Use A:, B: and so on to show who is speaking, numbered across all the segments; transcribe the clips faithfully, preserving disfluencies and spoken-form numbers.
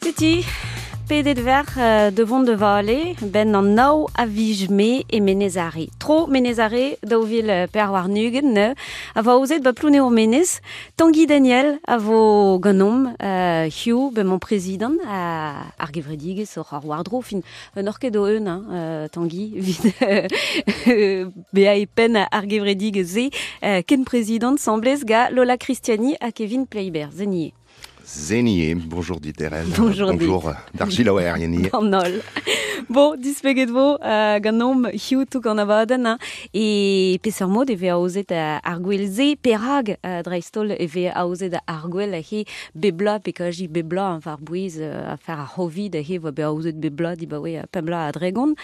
A: Setu, pedet ver euh, de vont de vale, ben an nao a vij me e Menez Are. Tro Menez Are, daou vil per war nugen, ne, a vo aozet ba Plouneour Menez. Tanguy Daniel a vo ganom, euh, hiu, ben mon prezident, a, ar gevredigez oc'h ar war-dro, fin, un orket o eun, hein, euh, Tanguy, vid euh, bea e pen ar gevredigez ze, euh, ken prezident semblez ga Lola Christiani ha Kevin Pleiber, zenier.
B: Zenier, bonjour Diterel.
A: Bonjour.
B: Bonjour d'Argila Yeni.
A: An holl. Bon, dispeget vo euh, ganom hiu touk an abadenn, hein. E peseurt mod e vez aozet euh, ar gwel ze, perag euh, dreist-holl e vez aozet ar gwel he bebla pe kaji bebla an var bouez euh, afer ar c'hovid he voa be aozet bebla di baoe euh, pembla a dregon.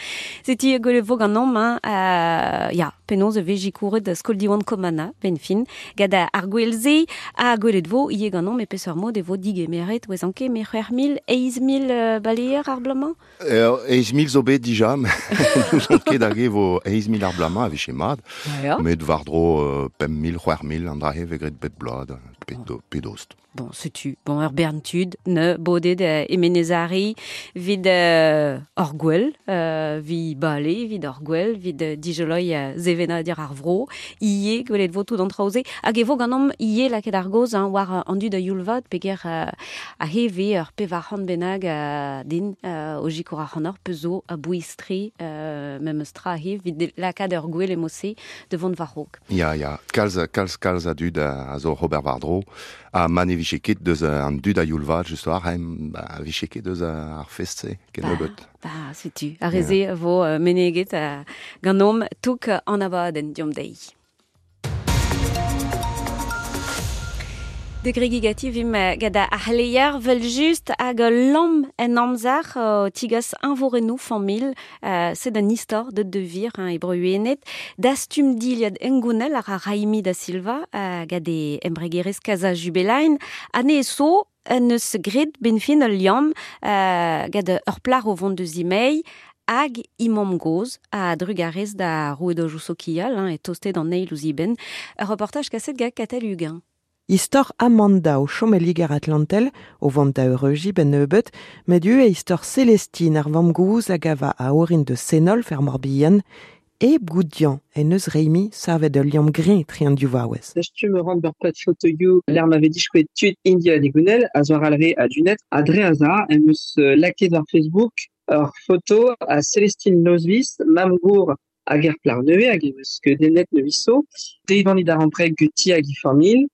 A: Seti gwelet vo ganom, hein, euh, ya, penaos e vez jikouret da skol diwan komana, ben fin, gad ar gwel ze, ha gwelet vo ie ganom e peseurt mod e vo digemeret, oez anke, me c'hwec'h mil, eizh mil euh, baleer ar blamañ?
B: Euh, eizh mil zo bet dija, nous on ket hag e vo eizh mil ar blamañ a vije mat.
A: Ya.
B: Met war-dro euh, pemp mil, c'hwec'h mil an drahe vez graet bep bloaz, pedo, pedost.
A: Bon, setu, bon, ur bern tud, ne, bodet euh, e Menez Are, vid euh, ur gwell, euh, vi bale, vid ur gwell, vid euh, dijoloi euh, zevenadur ar vro, ie, gwelet vo tout an traoze, hag e vo ganom ie lakaet ar goz, hein, war euh, an dud a youlvat, peger euh, a heve ur pevar c'hant bennak euh, din, euh, o jikour ar c'hant ur pezo a bouistre, euh, memes tra he, vid lakaat ur gwell emose de vont war raok.
B: Ya, ya, kalz, kalz, kalz a dud a, a zo Robert war-dro, a ma ne vije ket deus an dud a youlvat, just war, hein, ba, vije ket deus ar fest-se, ken
A: Ba,
B: nebeut.
A: ba, setu, ar reze vo euh, meneget euh, ganom touk an abadenn diom deiz. De gregigati vim gad ar c'hleier vel just hag ul lamm en amzer uh, tigas invorennoù familh, uh, sed an istor deut de vir, hein, e breuenet, dastum diliad engounel ar ar Raimi da Silva uh, gad e embregerez Casa Jubelain, ane so en eus gret benfin ul liamm uh, gad ur plar o vont de zimei, hag imam goz a drugarez da rouedojoù sokial, hein, e tostet an eil ouzh iben. Ur reportaj kaset gant Katell Huguin.
C: Istor Amanda o chom e Liger Atlantel, o vont da eureuji ben nebeut, met ue istor Célestine ar vamm-gozh hag a va a orin de Senolf er Morbihan, e Goudian en eus Rémi savet ul liamm grin tre an div vaouez.
D: Dastum ran ur pad fotoioù, l'air m'avait dit chouette tud India Digounel, a zoar alre a dunet, a dre aza, em eus lakaet war Facebook ur foto a Célestine Lozvis, mamgour hag er plar nevez, hag em eus kedennet neviso, deivan idar ampreg guti hag i familh,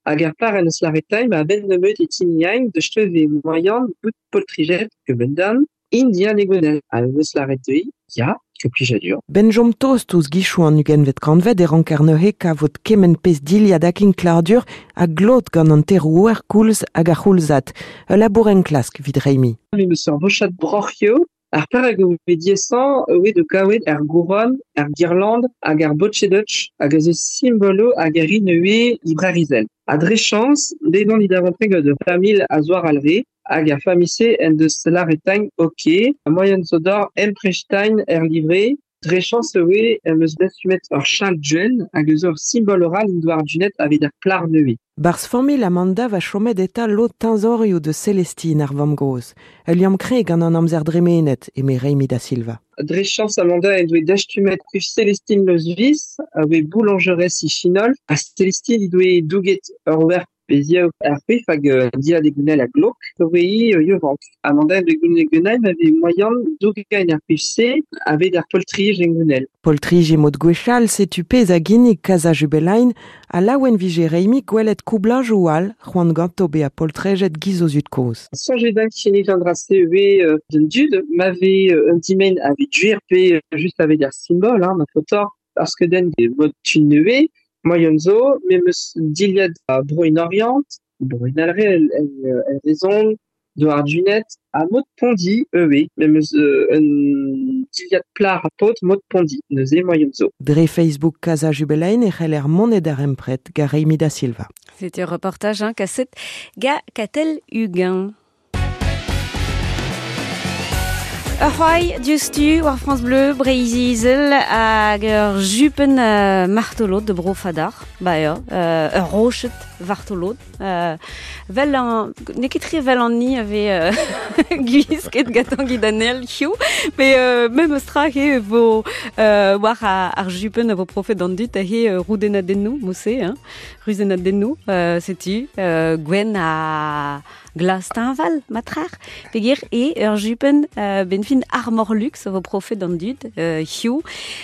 D: hag ar par en eus laretaim a ben nebeut e tiniain de steuve moyan bout poltrijet ke bendan India Digounel. A eus laretei, ya, ke plijadur.
C: Ben jom tost ouzh gichoù an ugentvet kantved e ranker neuze kavout kement pezh dilhad hag inkladur a glot gant an terouer koulz hag ar c'houlzad. Ul labour enklask vid Rémi.
D: Me meus ur vochad broc'hio, ar par hag o diesan oe de kaouet ar gouron, ar girland hag ar botchedutch hag a zo simbolo hag ar inoe ibrarizel. A dre chans, dedan idavantreg de famil a zoar alre, hag ar famise en deus laretagn ok, a moyen zodor emprestein er livre, dre chans oe em eus dastumet ur chal djen hag eus ur simbol oral in doar dunet aveit ar plar neue.
C: Barz familh Amanda va chomet eta lot teñzorioù de Célestine ar vamm-gozh. Ul liamm kre gant an amzer dremenet, eme Rémi da Silva.
D: Dre chans Amanda en doe dastumet kuf Célestine Lozvis, a oe boulangerez i chinol, a Célestine he doe douget ur wer peziaou ar pef hag euh, dia de gounel a glok, oe i euh, yevank. Amanda en doe gounel gounel avait moyen douget ar pef se aveit ar poltrij en gounel.
C: Poltrij e mod gwechall setu pezh a ginnig Casa Jubelain, a laouen vije Rémi gwelet koublajoù all c'hoant ganto bezañ poltrejet giz o zud kozh.
D: Soñjet da kinnig an dra-se oe euh, d'un dud, m'avait euh, un dimen avait duer pe euh, juste aveit ar simbol, hein, ma fotor, parce que den de mod tu neue, moyen zo, me meus dilhad a broin Orient, broin alre el, el, el rezon, do ar dunet, a mod pondi, eue, me meus euh, un dilhad plar a pot mod pondi, neuze moyen zo.
C: Dre Facebook Casa Jubelain e c'heller monet ar empret ga Rémi da Silva.
A: C'était un reportage, hein, kaset ga Katell Huguin. Ur c'hoai diouzhtu war France Bleu, Breizh-Izel hag ur jupen euh, martolod de bro Fadar. Ba eo, euh, ur rochet vartolod. Euh, Vel an, n'eo ket tre vel an ni ave euh, gwisket gant Gidanel hiziv, mais euh, memes tra he vo euh, war ar, ar jupen a vo profet d'an dud he euh, roudenadennoù, mose, hein, ruzenadennoù, euh, setu, euh, gwen a glas teñval, matrar, peogwir e ur jupen euh, benfin armor luxe vo profet d'an dud, euh, hiziv,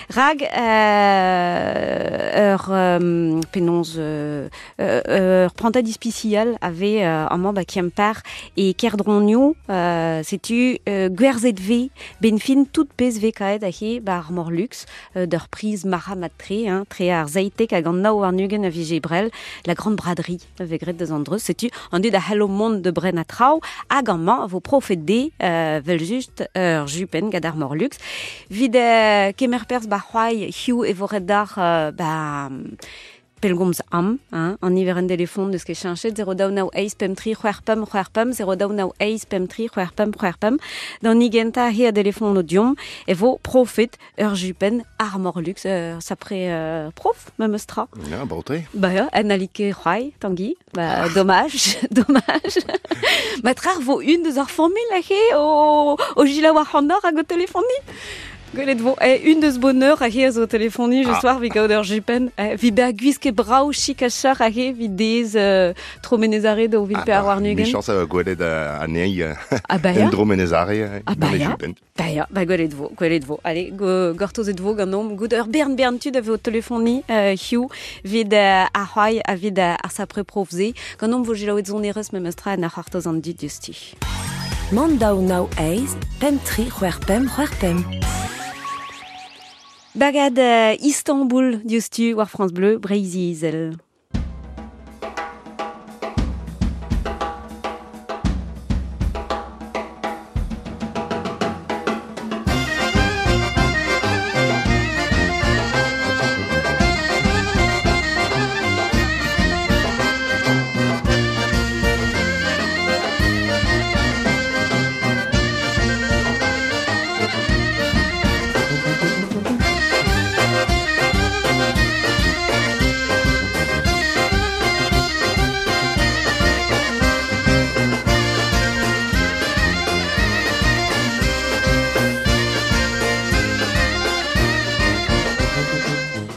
A: rag euh, ur euh, penaos euh, euh, ur prantad ispisial ave euh, amañ ba Kemper e Kerdronioù, euh, setu euh, gwerzhet ve benfin tout pezh ve kaet ahe ba armor luxe euh, d'ur priz marc'h-mat-tre, hein, tre ar zeitek hag an nav warn-ugent a vije brel, la grande braderie ave graet deus an dreuz, setu an dud a c'hallo mont de bren a traoù hag amañ vo profet de euh, vel just ur jupen gant armor luxe. Vid euh, kemer perzh ba c'hoai hiziv e vo ret d'ar euh, ba pelgomz am, hein, an niverenn telefon deus ket cheñchet, zéro daou nav eizh pemp tri c'hwec'h pemp c'hwec'h pemp, zéro daou nav eizh pemp tri c'hwec'h pemp c'hwec'h pemp, d'an igentañ he a telefon o diomp, e vo profet ur jupen armor luxe, euh, sapre euh, prof, memes tra.
B: Ya, baotre.
A: Ba ya, en alike c'hoai, Tanguy, ba, dommage, dommage. Ma trar vo une deus ar familh ahe o, o gila war an hag o telefoni. Gwelet vo, eh, une deus bonheur ahe a zo telefoni, je soir, vi gaout ur jupen, eh, vi ba gwisket brav chik a char ahe, vi dez euh, tro menezare da o vil pe ar warn-ugent.
B: Michans a gwelet anezhi
A: Ah bah ya.
B: en dro menezare
A: Ah bah
B: gant e
A: ya.
B: jupen.
A: Ba ya, ba gwelet vo, gwelet vo. Allez, go, gortozet vo ganeomp, gout ur bern bern tud a vo telefoni euh, hiziv, vid euh, ar c'hoai ha vid euh, ar sapre prof-se. Ganeomp vo selaouet sonerezh memes tra en ar c'hortoz an dud diouzhtu.
E: Mont daou nav eizh, pemp tri c'hwec'h pemp c'hwec'h pemp.
A: Bagad euh, Istanbul diouzhtu war France Bleu, Breizh-Izel.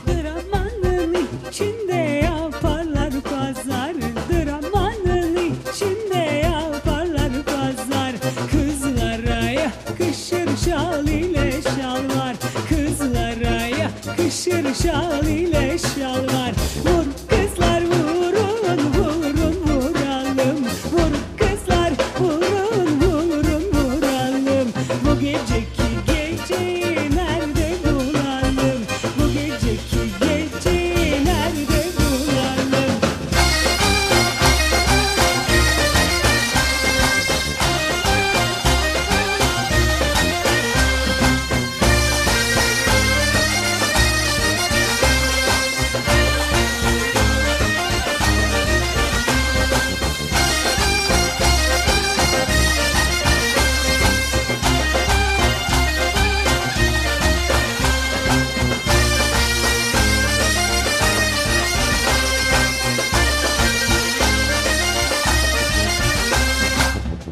F: Dramanın içinde yaparlar pazar, dramanın içinde yaparlar pazar. Kızlara yakışır şal ile şalvar, kızlara yakışır şal ile şalvar. Vur kızlar vurun vurun vuralım, vur kızlar vurun vurun vuralım. Bu geceki geceyi nerede bulalım, bu geceki geceyi nerede bulalım?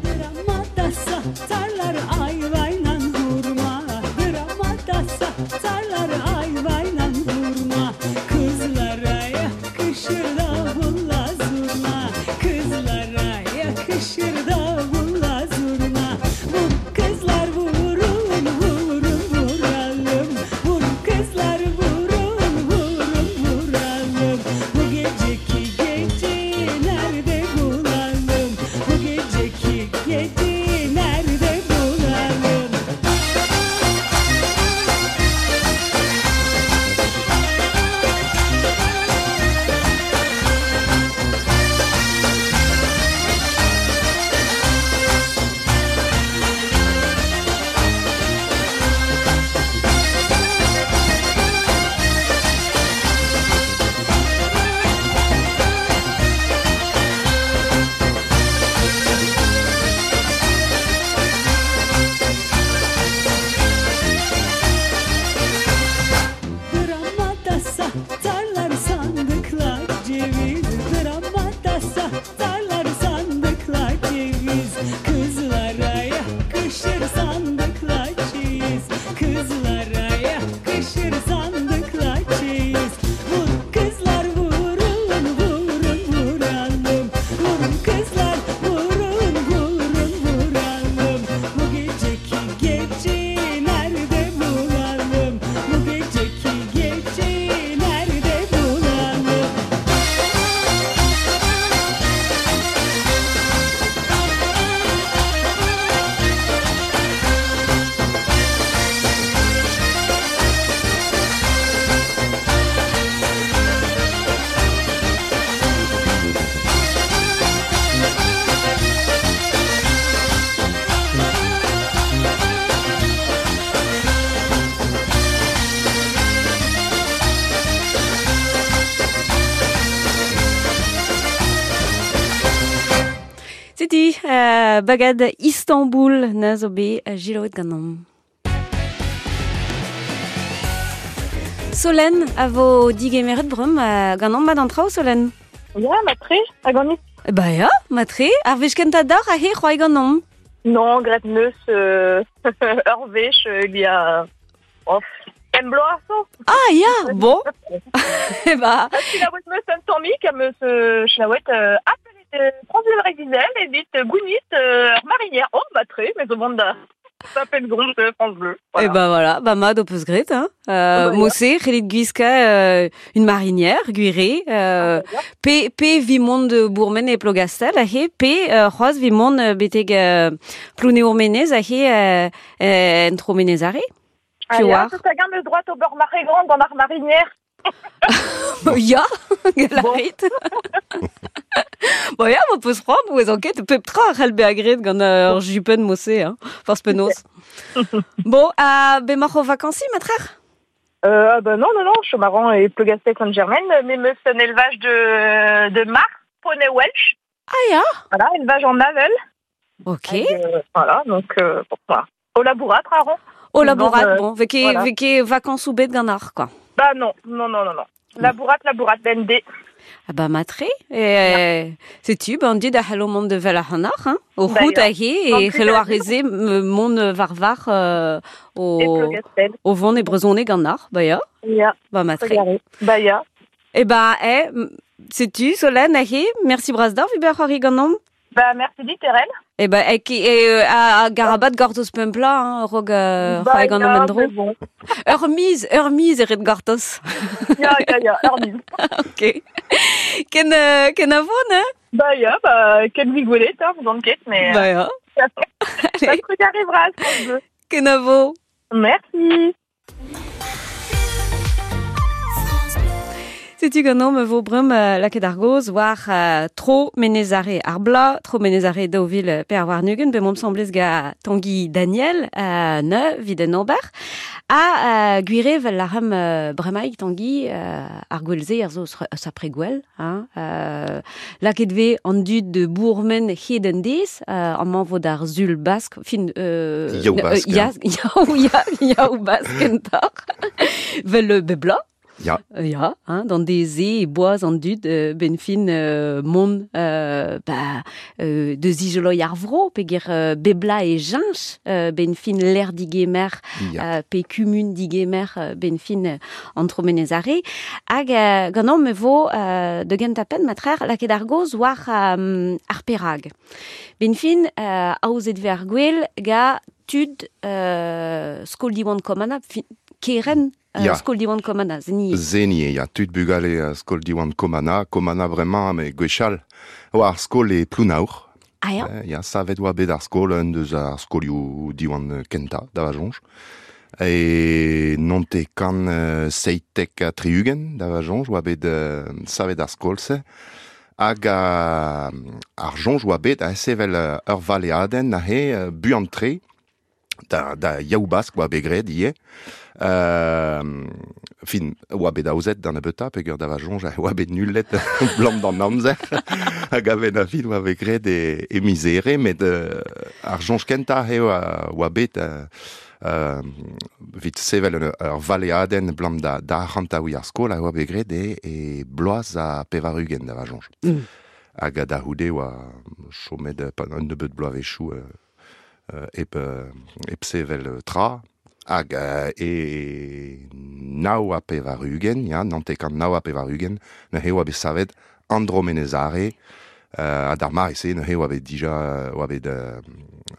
F: Dramada satarlar ayvayla hurma, dramada satarlar ayvayla hurma. Kızlara yakışır davulla zurna, kızlara yakışır davulla zurna. Vur kızlar vurun vurun vuralım, vur kızlar vurun vurun vuralım. Bu geceki geceyi nerede bulalım, bu geceki geceyi nerede bulalım?
A: Setu, euh, bagad Istanbul na zo bet jiloet ganom. Solen a vo digemeret brum euh, ganom mat an traoù, Solen?
G: Ya, matre, a ganit.
A: Ba ya, matre, ar vech kenta d'ar a he c'hoai ganom.
G: Non, gret neus euh, ur vech, euh, il y a... Oh, em bloaz so.
A: Ah ya, bon. Eh ba...
G: Chilaouet meus un tammik, am eus euh, chilaouet euh, apelet France Bleu Breizh-Izel evit gounit euh, ur marinière. Oh, matre, mais zo vont da... Ça s'appelle Gronde France Bleu.
A: Voilà. Et ben voilà, bah mad o peus gret, hein. Euh, bah, Mossé, c'hellit gwiska euh, une marinière, gwire, euh, pe, pe vimont de Bourmen e Plogastel, ahe, pe euh, c'hoaz vimont beteg euh, Plounéour-Menez, ahe, euh, euh, en tro Menez are.
G: Ah, ya, tout a gamm eus droit au bord marée grande gant ar marinière.
A: Ya, galarit. Bon, ya, ma peus c'hoant, ouez anket, pep tra a c'hell bezañ graet gant ur jupenn Mossé, hein, force penaos. Bon, euh, be mac'h o vakansi, matrer?
G: Euh, bah non, non, non, je suis marrant et Plogastel Saint-Germain, mais meus un élevage de, de mar, poney Welsh.
A: Ah ya.
G: Voilà, élevage en avel.
A: Ok.
G: Et, euh, voilà, donc, euh, bon, voilà. Au labourat, traron.
A: Au labourat,
G: euh,
A: bon, veke,
G: voilà.
A: veke vacances ou bet gant ar, quoi.
G: Bah non, non, non, non, non. Labourat, labourat, B N D.
A: Ah bah matre, et setu, ben dit da c'hello mont de vel ar c'hannar, hein, o
G: Bah,
A: c'hout
G: ya.
A: ahe, e c'hello ar reze mont varvar euh, o, o vont e brezhoneg gant ar, bah ya.
G: Ya.
A: Bah matre.
G: Bah ya.
A: E bah, eh, setu, Solène, ahe, merci bras d'or, vi ber c'hoari ganom.
G: Bah merci dit, Terel.
A: E bah, e, e, a, a garabat gortoz pempla, hein, rog euh,
G: bah,
A: c'hoari ganom
G: ya,
A: endro.
G: Bon.
A: Ur miz, ur miz eret gortoz.
G: Ya, ya, ya, ur miz.
A: Ok. Ken, euh, ken a vo, ne?
G: Bah ya, bah, ken vi gwelet, hein, vous enquête, mais...
A: Bah ya.
G: Ça truc arrivera, ce qu'on veut.
A: Ken a vo.
G: Merci.
A: Setu ganom vo brum euh, laket ar goz war euh, tro menezare ar bla, tro menezare daou vil per war nugen, be mom semblez ga Tanguy Daniel, euh, ne, vid en ober, a euh, gwire vel l'arem euh, bremaik Tanguy euh, ar gwelze ar zo sapre gwell, hein, euh, laket ve an dud de bourmen hed en dez, euh, an man vo d'ar zul bask, fin... Euh,
B: Yaou bask.
A: Euh, ya, yaou, ya, yaou bask entar, vel bebla.
B: Ya.
A: Ya, hein, dans des e boaz an dud euh, ben fin euh, mont euh, bah, euh, de zijoloi ar vro, peger euh, bebla e jinch euh, ben fin l'air digemer
B: Ya.
A: euh, pe kumun digemer euh, ben fin euh, an tromenez are. Hag euh, ganom me vo euh, de gentapen matrer laket ar goz war euh, ar perag. Ben fin euh, aozet ve ar gwel ga tud euh, skol diwan komana, fin, keren
B: Ya.
A: Uh, skol diwan komana, zeni.
B: Zeni, ya, tud bugale uh, skol diwan komana, komana bremañ, me gwechall, oa ar skol e Plounaour.
A: Ah ya.
B: Eh, ya, savet oa bet ar skol, un deus ar skolioù diwan kenta, da va jonj. E nonte kan uh, seitek ha tri-ugent, da va jonj, oa bet uh, savet ar skol-se. Hag a, ar jonj oa bet a sevel uh, ur valeadenn ahe uh, buan-tre, da, da yaou bask oa bet graet ivez. Euh, fin, oa bet aozet d'an abeuta, peogwir da va jonj oa bet nullet blam d'an amzer, hag a ben a fin oa bet graet e, e mizere, met euh, ar jonj kenta eo oa, oa bet euh, euh, vit sevel ur, ur valeadenn blam da, da arc'hantaouiñ ar skol a oa bet graet e, e bloaz a pevar-ugent da va jonj.
A: Mm.
B: Hag a da c'houde oa chomet pa un nebeud bloavezhioù euh, euh, ep, euh, ep sevel tra, hag euh, e nao a pevar-ugent, ya, nante kant nao a pevar-ugent, neuze oa bet savet Andromenezare, euh, ha d'ar mare-se, neuze oa bet dija, oa bet euh,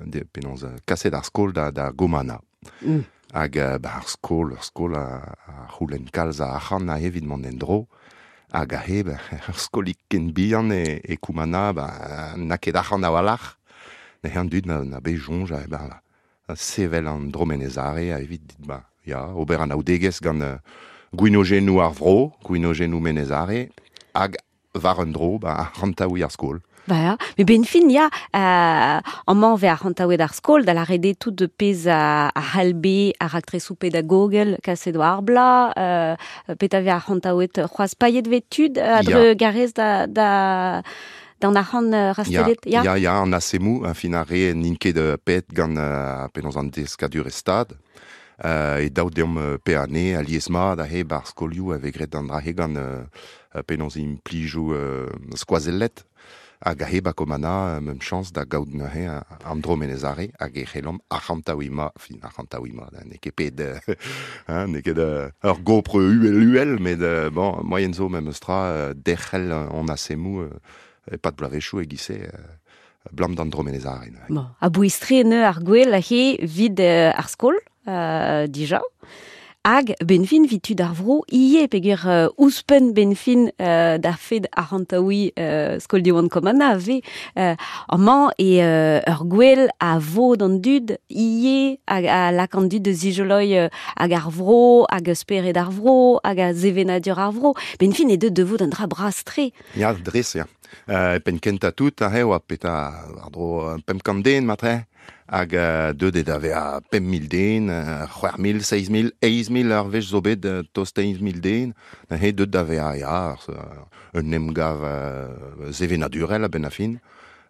B: de, penaos, kaset ar skol da, da Gomana.
A: Mm.
B: Hag euh, ba, ar skol, ar skol a, a c'houlenn kalz a arc'hant a evit mont en-dro, hag a he, ba, ar skolik ken bihan e, e Koumana, ba, n'a ket arc'hant a-walc'h, neuze an dud na, na bet jonj, a, ba, sevel an dromenezare a evit dit, ba, ya, ober an aoudegezh gant uh, gwinogennoù ar vro, gwinogennoù menezare, hag war un dro, ba, arc'hantaouiñ ar skol.
A: Ba ya, met ben fin ya, euh, amañ ve arc'hantaouet ar skol, da la rede tout de pez a, a c'hallbe ar raktresoù pedagogel kaset war ar bla, euh, pet a ve arc'hantaouet c'hoazh pailhet ve tud a
B: Ya.
A: dre garez da, da, d'an arc'hant uh, rastelet,
B: ya? Ya, ya, an asemou, a fin ar re n'int ket uh, pet gant uh, penaos an deskadur e stad. Uh, e daou deomp uh, pe ane, a lies mat a he bar skolioù a vegret an dra he gant uh, penaos implijou uh, skoazellet. Hag a he ba komana, mem chans da gaout neuze an dro menezare, hag e c'hellomp arc'hantaouiñ ma, fin arc'hantaouiñ ma, n'eo ket pet, hein, n'eo ket ur gopr uhel uhel, met bon, moyen zo mem eus tra derc'hel on asemou e pat bloavezhioù e gise blam d'an dro menezare.
A: Bon, a bouistre ne ar gwell a he vid ar skol, euh, dija. Hag benfin vit tud ar vro ie peger uh, ouzhpenn benfin uh, da fed arc'hantaouiñ uh, skol Diwan Komana ave uh, amañ e uh, ur gwell a vo d'an dud ie hag a lak an dud de zijoloi uh, hag ar vro hag spered ar vro hag a zevenadur ar vro benfin e deud de vo d'an dra bras-tre.
B: Ya, dres, ya. Uh, pen kenta tout a eo a peta ar dro pemp kant den matre. Hag uh, deut e dave a pemp mil den, uh, c'hwec'h mil, seizh mil, eizh mil ar wech zo bet uh, tost eizh mil den. He deut dave a ya, un emgav uh, zevenadurel a ben a fin.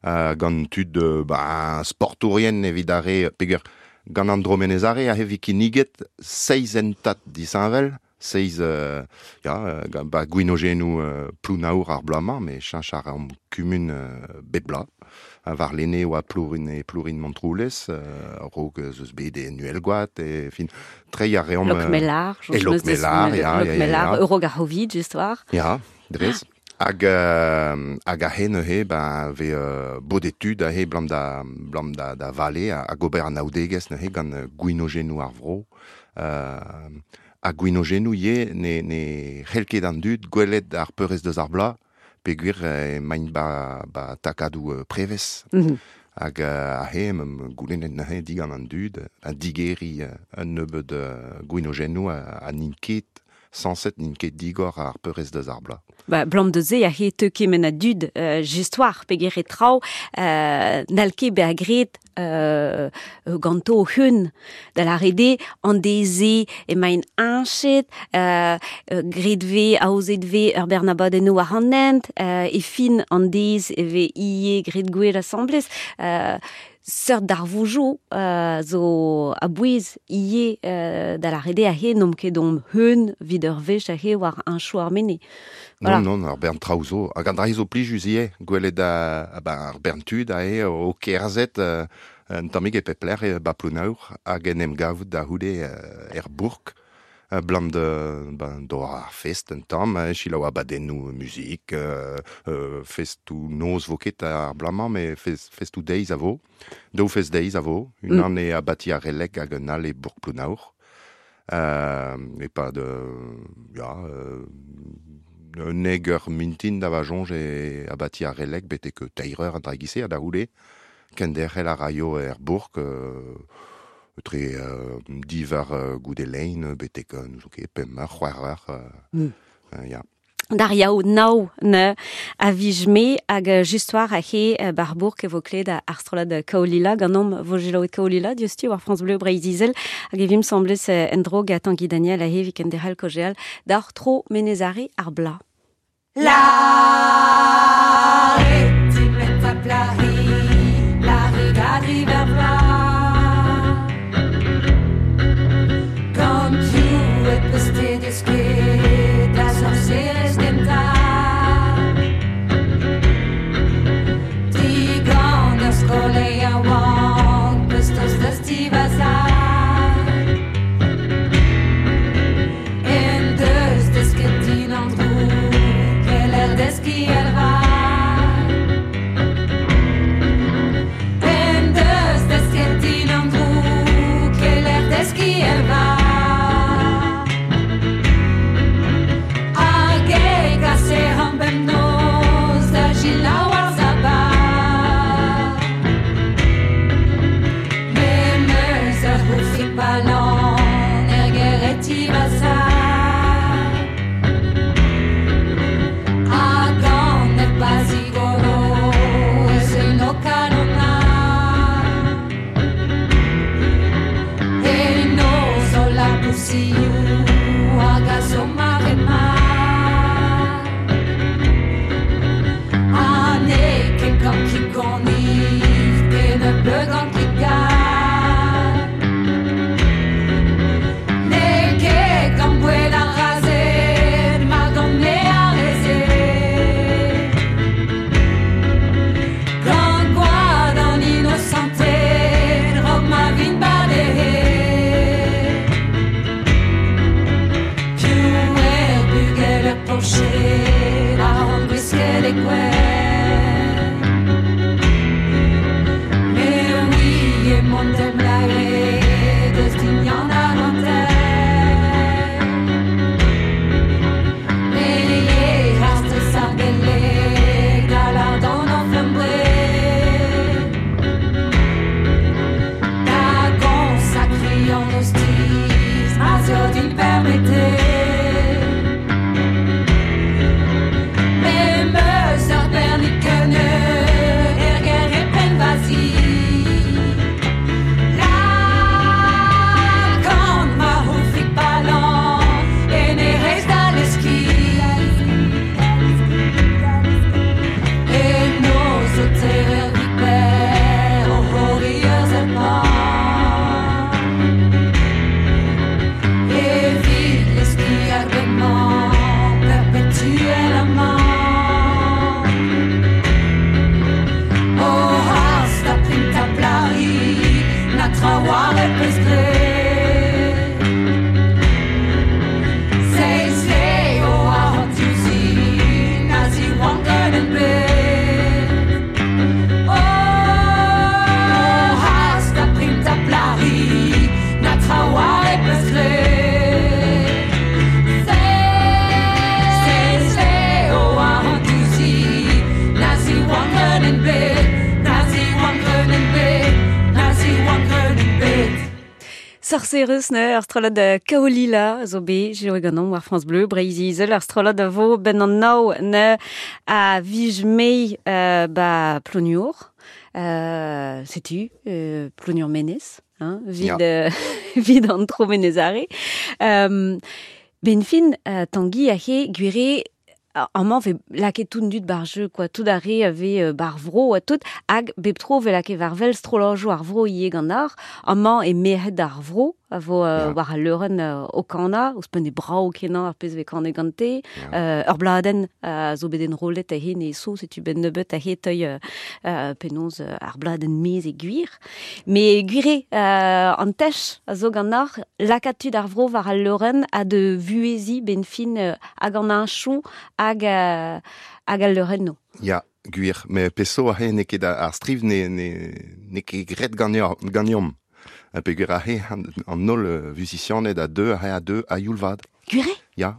B: Uh, gant tud uh, ba, sportourien evit ar re, peger gant an dro menezare a hevi kinniget seizh entat disheñvel, seizh euh, ya, ba gwinogenou euh, plounaour ar bloaz-mañ, met cheñch ar am kumun euh, bep bloaz. War lene oa plourin e plourin Montroulez, euh, raok zeus bet e Nuelgoat, e fin, treiñ ar reomp...
A: Lokmelar,
B: e Lokmelar, ya, ya, ya, ya.
A: Eurogarovid, just war.
B: Ya, dres. Hag, euh, hag a he neuze, ben, ve euh, bodetud a he blam da, blam da, da vale, hag ober an aoudegez neuze gant gwinogenou ar vro. Euh, a gwinogenou ye ne, ne c'hell ket an dud gwelet ar peurez deus ar bloaz, peogwir e maint ba, ba takadou uh, prevez.
A: Mm -hmm.
B: Hag uh, a he, mem goulennet neuze digant an dud, a digeri uh, un nebeud uh, gwinogenou a, a n'int ket, sañset n'int ket digor ar peurez deus ar bloaz.
A: Ba, blam de ze a he teu kement a dud euh, jistoar peger e traoù euh, n'hall ket bezañ graet euh, ganto hun da lâret an deze emaint heñchet euh, graet ve aozet ve ur bernabadennoù war an hent euh, e fin an dez e ve ie graet gwell asambles euh, seurt d'ar voujo euh, zo a bouez ie euh, da lâret a he n'omp ket omp hun vid ur wech a he war un chou ar mene.
B: Voilà. Non, non, ar bern traoù zo. Hag an dra zo plijus ivez, gwelet a, a ba, ar bern tud a he o kerzhet euh, un tammig e pep lec'h e ba Plounaour hag en em gavout da c'houde euh, er bourk euh, blam de, ben, d'ober ar fest un tamm, eh, selaou abadennoù muzik, euh, euh, festoù noz vo ket ar bloaz-mañ, met fest, festoù deiz a vo, daou fest deiz a vo, unan mm. e abati ar Releg hag un all e bourk Plounaour. Euh, e pa de, ya, euh, un eg ur mintin da va soñj e abati ar Releg betek teir eur an dra gise a da c'houde, kenderc'hel a raio er bourk, euh, tre euh, divar euh, goude lein betek euh, n'ouzon ket pemp eur, c'hwec'h eur, euh,
A: mm.
B: euh, ya.
A: D'ar yaou naou ne a vij-me hag just war a he bar bourk e vo kled ar strollad Kaolila ganeomp vo gelaouet Kaolila diouzhtu war France Bleu Breizh-Izel hag e vim semblez en dro gant Tanguy Daniel a he viken derc'hel kojeal d'ar tro menezare ar bla.
E: La la
F: Deski elva.
A: Sorcerus ne, ar strollad Kaolila zo be, jeo ganon war France Bleu, Breizh Izel, ar strollad a vo ben an nao ne a vij mei euh, ba Ploniour. Euh, setu, euh, Ploniour Menez, hein, vid,
B: Ya.
A: euh, vid an tro Menezare. Euh, ben fin, euh, Tanguy a he gwire amañ ve lakaet tout dud bar jeu, quoi. Tout ar re ave euh, bar vro a tout, hag bep tro ve lakaet war vel strollojoù ar vro ivez gant ar, amañ e merc'hed ar vro, a vo euh,
B: Ya.
A: war al leurenn euh, o kana, ouzhpenn e brao kenañ ar pezh vez kanet gante,
B: Ya.
A: euh, ur bladenn euh, zo bet enrollet a he ne so, setu ben nebeut a he teuil euh, euh, penaos euh, ar bladenn mez e gwir. Me gwire euh, an tech a zo gant ar, lakaat tud ar vro war al leurenn a de vuezi ben fin euh, hag an anchou hag, euh, hag al leurenno.
B: Ya, gwir, me peso a he ne ket ar striv ne, ne, ne ket gret ganeomp. Ha peogwir a he an, an holl euh, musicianed a deux, a he a deux a youl vat.
A: Gwire?
B: Ya,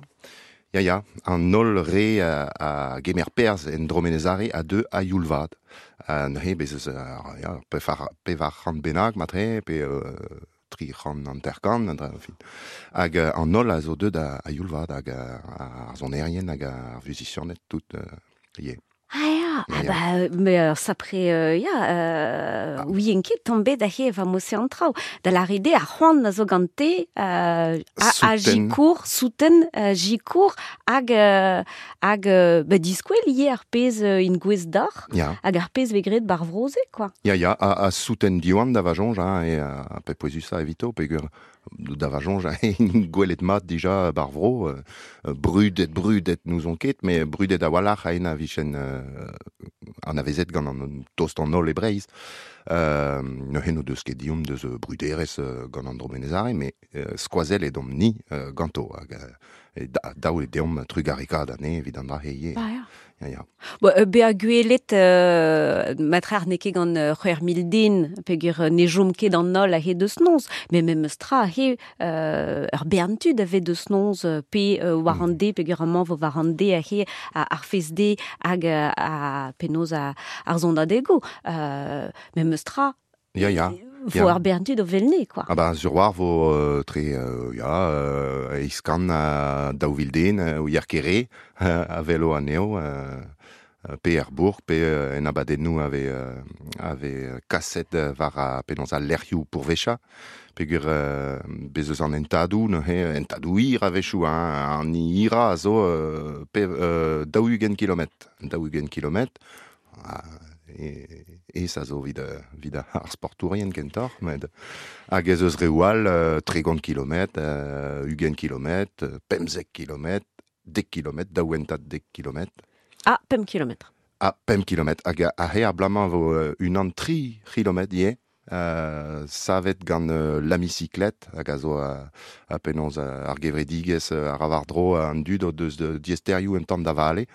B: ya, ya, an holl re a, a gemer perz en dromenezare a deux a youl vat. Ha neuze bez eus ar, ya, pevar, pevar c'hant bennak matre, pe euh, tri c'hant hanter-kant, an dra, fin. Hag euh, an holl a zo deut a, a youl vat, hag a, ar sonerien hag ar musicianed tout euh, ivez.
A: Ah ya, ah
B: Ya, ya.
A: ba, me euh, sapre, euh, ya, euh,
B: Ah.
A: oui ket tombet da he va mose an traoù. Da la ride a c'hoant a zo gante, euh, a, a
B: Souten.
A: jikour, souten, euh, jikour, hag, euh, hag, euh, ba diskouel ivez ar pezh euh, in gwez d'ar,
B: Ya.
A: hag ar pezh vegret bar vroze, quoi.
B: Ya, ya, a, a souten diwan da vajonj, hein, e a, a pe pouezus a evito, peogwir da vajonj, hein, gwelet mat dija bar vro, euh, brudet, brudet nous on ket, mais brudet a walc'h a en a vichen euh, an avezet gant an tost an holl e Breizh. Euh, neuze no deus ket diomp deus euh, bruderez euh, gant an dromenezare, mais euh, skoazell edomp ni euh, ganto, hag euh, e da, daou e deomp trugarekaat ane evit an dra he ivez.
A: Ba ya.
B: Ya, ya.
A: Bo, euh, bezañ gwelet euh, matrar n'eo ket gant euh, c'hwec'h mil den, peogwir euh, ne chom ket an holl a-hed deus noz, met memes tra he euh, ur bern tud a vez deus noz euh, pe euh, war an de, peogwir amañ vo war an de a-hed a, ar fez de hag euh, a penaos a, ar zonadego. Euh, memes tra,
B: Ya, ya.
A: vo
B: Ya.
A: ur bern tud o velne, quoi.
B: Ah ba, sur war vo euh, tre, euh, ya, euh, iskan a daou vil den, euh, ou yer kere, euh, a velo anezho, euh, euh, pe er bourg, pe euh, en abadennoù ave, euh, ave kaset euh, war a penaos a lec'hioù pourvecha, peogwir euh, bez eus an entadoù, neuze, entadoù hir a-wechoù, hein, an hira a zo euh, pe, euh, daou-ugent kilometr, daou-ugent kilometr, ah, e, e ça zo vid, euh, vid ar sportourien kentoc'h, met hag ez eus reoù all, euh, tregont kilometr, euh, ugent kilometr, euh, pemzek kilometr, dek kilometr, daouentad dek kilometr.
A: Ah, pemp kilometr.
B: Ah, pemp kilometr. Hag a, a he ar blamañ vo euh, unan tri kilometr ivez, euh, savet gant euh, l'amicyclette, hag a zo a, a penaos euh, ar gevredigezh euh, ar avar-dro an dud o deus de diesterioù un tamm da vale,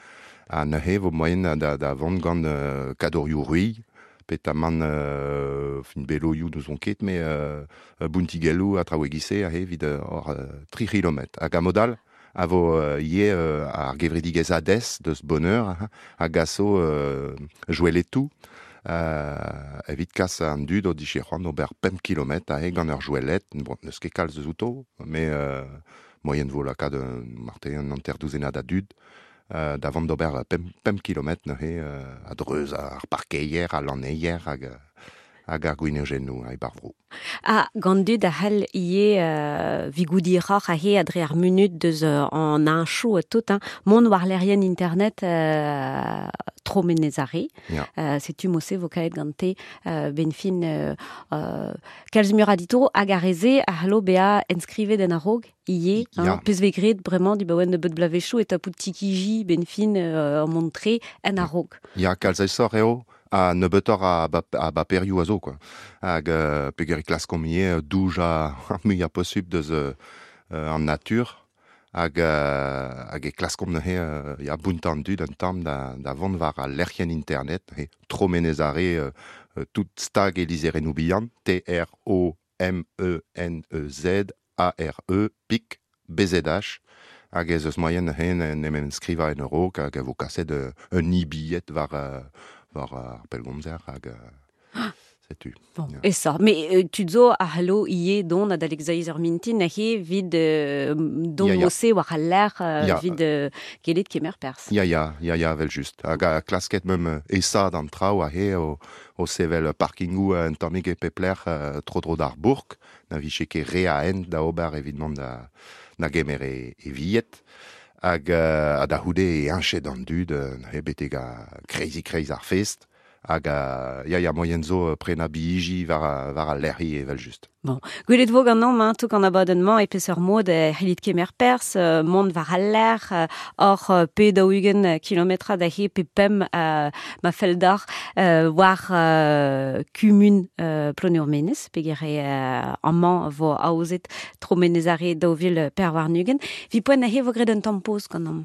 B: ha neuze vo moaien da, da vont gant euh, kadorioù ruilh, petamant euh, fin beloioù n'ouzon ket, mais euh, bountigelloù a traoù egise a he evit euh, hor euh, tri kilometr. Hag a modal a vo euh, ivez euh, ar gevredigezh Hades deus Bonheur, hein, hag a zo euh, joueletou, euh, evit kas an dud o dije c'hoant ober pemp kilometr a he gant ur jouelet, bon, n'eus ket kalz eus outo, mais euh, moyen vo lakaat un, marte un hanter douzennad a dud, euh, da vont d'ober pemp, pemp kilometr neuze euh, a dreuz ar parkeier, a lanneier hag, hag ar gwinojennoù a e bar vro.
A: Ah, gant dud a c'hell ivez euh, vigoudi roc'h a he adre ar munut deus euh, an anchou a tout, hein. Mont war lerien internet euh, tro menezare.
B: Ya.
A: Euh, setu mose vo kaet gante euh, ben fin euh, euh, kalz mur a dito hag ar reze a c'hallo bezañ enskrivet en a-raok ivez, hein,
B: Ya.
A: pezh vez graet bremañ du baouen nebeut blavezhioù e tapout tikiji ben fin euh, montre en a-raok.
B: Ya, kalz aesoc'h eo, a nebeutoc'h a, ba, a baperioù a zo, quoi. Hag euh, peogwir e klaskomp ivez euh, douj a ar muiañ posupl deus euh, euh, an natur, hag, euh, hag e klaskomp neuze euh, ya, bountañ an dud un tamm da, da vont war al lec'hienn internet, he, tro menezare euh, euh, tout stag e lizherennoù bihan, T R O M E N E Z A R E, pik, B Z H, hag ez eus moaien neuze en en em enskrivañ en a-raok, hag a vo kaset euh, un e-billet war, euh, war ar pellgomzer hag euh, Setu.
A: Bon,
B: Ya.
A: e ça. Mais euh, tu zo a hallo ie don adalek zeiz ur mintin a he vid euh, don
B: Ya, ya.
A: mose war al l'air euh,
B: Ya.
A: vid euh, gelet kemer pers.
B: Ya, ya, ya, ya, vel just. Hag a klasket mem euh, esa d'an traoù a he o, o sevel parkingou un tammig e pepler euh, tro-dro d'ar bourg, na vije ket re a hent da ober evit mont da, da gemer e, e villet. Hag euh, a da houde e heñchet an dud, euh, he betek a kreizi kreiz ar fest, hag a, ya, ya, moyen zo euh, prena biiji war, a- war al lec'hi evel just.
A: Gwelet vo gant an tok an abadenn-mañ e peseurt mod euh, c'hellit kemer pers, euh, mont war al l'air, euh, or euh, pe daou-ugent euh, kilometra da he pe pemp euh, ma fell d'ar euh, war euh, kumun euh, Ploneour-Menez, peger e euh, amañ vo aozet tro Menez-Are daou vil per war-nugent. Vi poent a he vo graet un tamm poz gant an.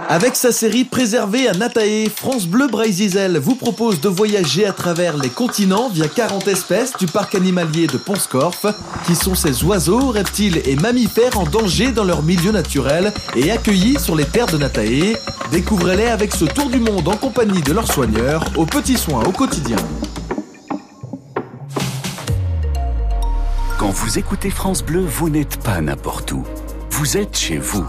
H: Avec sa série Préservée à Natae, France Bleu Breizh-Izel vous propose de voyager à travers les continents via quarante espèces du parc animalier de Pont-Scorff, qui sont ces oiseaux, reptiles et mammifères en danger dans leur milieu naturel et accueillis sur les terres de Natae. Découvrez-les avec ce tour du monde en compagnie de leurs soigneurs, aux petits soins au quotidien.
I: Quand vous écoutez France Bleu, vous n'êtes pas n'importe où. Vous êtes chez vous.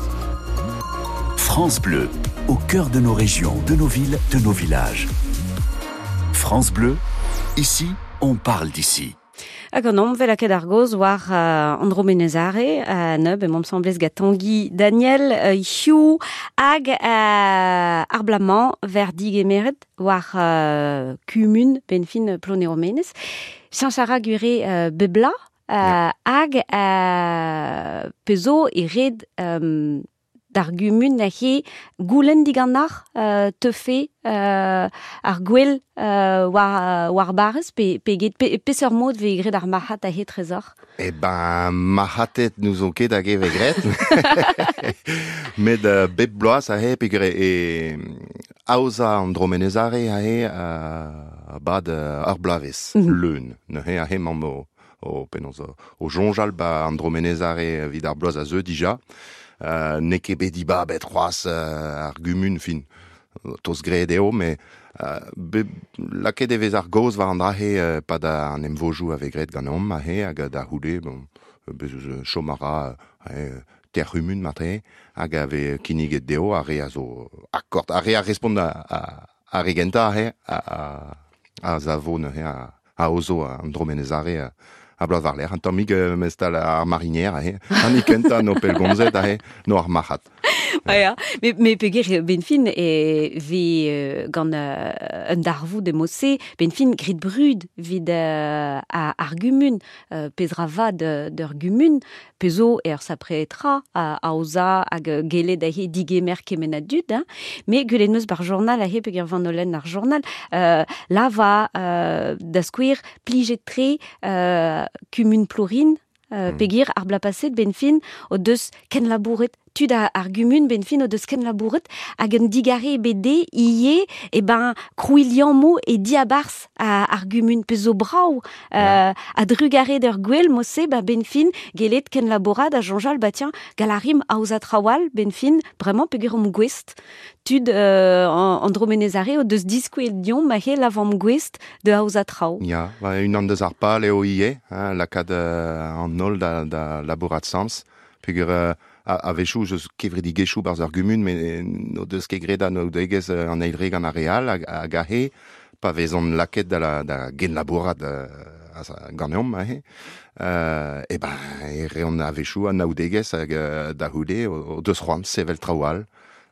I: France Bleu, au cœur de nos régions, de nos villes, de nos villages. France Bleu, ici, on parle d'ici.
A: Hag an omvel a ket ar goz war euh, Andro Menez-Are, euh, neub, e mont semblez gant Tanguy Daniel, euh, Hugh, hag euh, ar blamañ ver digemeret war euh, kumun benfin Ploneour-Menez. Cheñch a ra gure euh, bebla, euh, hag euh, pezo e red euh, d'ar gumun a he goulenn diganar euh, tefe euh, ar gwell euh, war, war barrez pe, pe, get, pe, peseurt mod ve graet ar marc'had a he trezor.
B: Eh ben, marc'hatet nous on ket hag e ve graet. Met euh, bep bloaz a he pegre e aoza an Dromenez-Are a he euh, bad euh, ar bloavezh,
A: Mhm.
B: leun. Neuze a he mamm o, o, penaos, o, o soñjal ba an Dromenez-Are evit ar bloaz a zeu dija. Euh, n'eo ket bet dibabet c'hoazh euh, ar gumun fin. Toz graet eo, mais euh, be, lakaet e vez ar gaoz war an dra-he euh, pad an emvojou a vez graet ganeomp a he, hag da c'houde, bon, bez eus euh, chom a ra euh, ter c'humun matre, hag a vez kinniget dezho ar re a zo akord, ar re a respont a, a, a re gentañ a he, a, a, a zavo neuze a, a ozo an Dromenez-Are a, a bloaz war-lerc'h, an tammig euh, mestal ar marinière a he, an ikentañ no pellgomzet a he, no ar marc'had.
A: Ah, ya. Me, me peger benfin e ve euh, gant euh, un darvoud e mose, benfin grit brud vid euh, a, ar gumun, euh, pezra vad d'ur gumun, pezo er sapreetra a aoza hag euh, gelet a he digemer kement a dud, hein. Me gwelet neus bar journal a he peger van olen ar journal, euh, la va euh, da skouer plijet tre euh, kumun plourin, euh,
B: Mm.
A: pegir ar bla paset benfin o deus ken labouret tud a ar gumun benfin o deus ken labouret hag un digare bede ie e ben krouiliammo e diabars a ar gumun pezo brau euh, a drugare d'ur gwell mose ba benfin gelet ken labourat a jonjal ba tiens galarim aoza trawal benfin vraiment peger om gwest tud euh, an, an Dromenez-Are o deus diskouel dion ma he lavam gwest de aoza traou.
B: Ya, ba, unan deus ar pal eo ie, hein, lakaat euh, an holl da, da labourat sams, peogwir euh, a, a-wechoù eus kevredigezhioù barzh ar gumun, met eh, n'o deus ket graet anaoudegezh euh, an eil re gant ar re all, hag, hag ahe, pa vezont lakaet da, la, da genlabourat euh, a- ganeomp ahe, euh, e ben, e reont a-wechoù anaoudegezh hag euh, da c'houde o, o deus c'hoant sevel traoù all,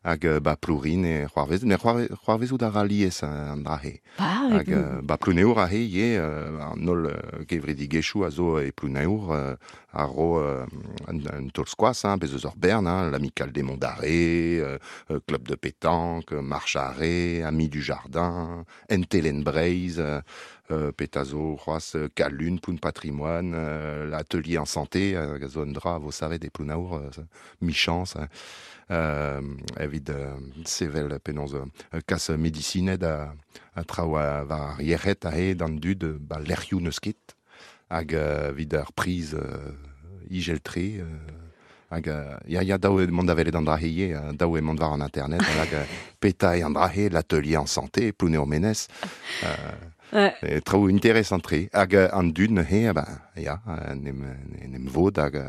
B: hag euh, ba plourin e c'hoarvez, ne c'hoarve- c'hoarvezout a ra lies euh, an dra-he.
A: Ba,
B: Hag euh, ba Plouneour a he ivez, euh, an holl euh, kevredigezhioù a zo e Plouneour euh, a ro euh, un, un taol skoaz, hein, bez eus ur bern, hein, l'Amicale des Monts d'Arrée, euh, euh, Club de pétanque, Marche Arrée, Amis du Jardin, Entelen Breizh, euh, euh, Petazo, c'hoazh, euh, Kalun, Ploun Patrimoine, euh, l'Atelier en Santé, euh, a zo un dra vo savet e Plouneour, euh, michans, hein, euh, evit euh, sevel penaos euh, kas medisined a, a traoù a, war ar yec'hed a he d'an dud euh, ba lec'hioù n'eus ket hag euh, evit ar priz euh, igeltre euh, hag euh, ya ya daou eo mont da welet an dra he ivez, euh, daou eo mont war an internet hag euh, peta eo an dra he l'atelier en santé Plouneour-Menez euh, Ouais. Traoù interesant-tre. Hag an dud neuze, ba, ya, en em, en em vod hag,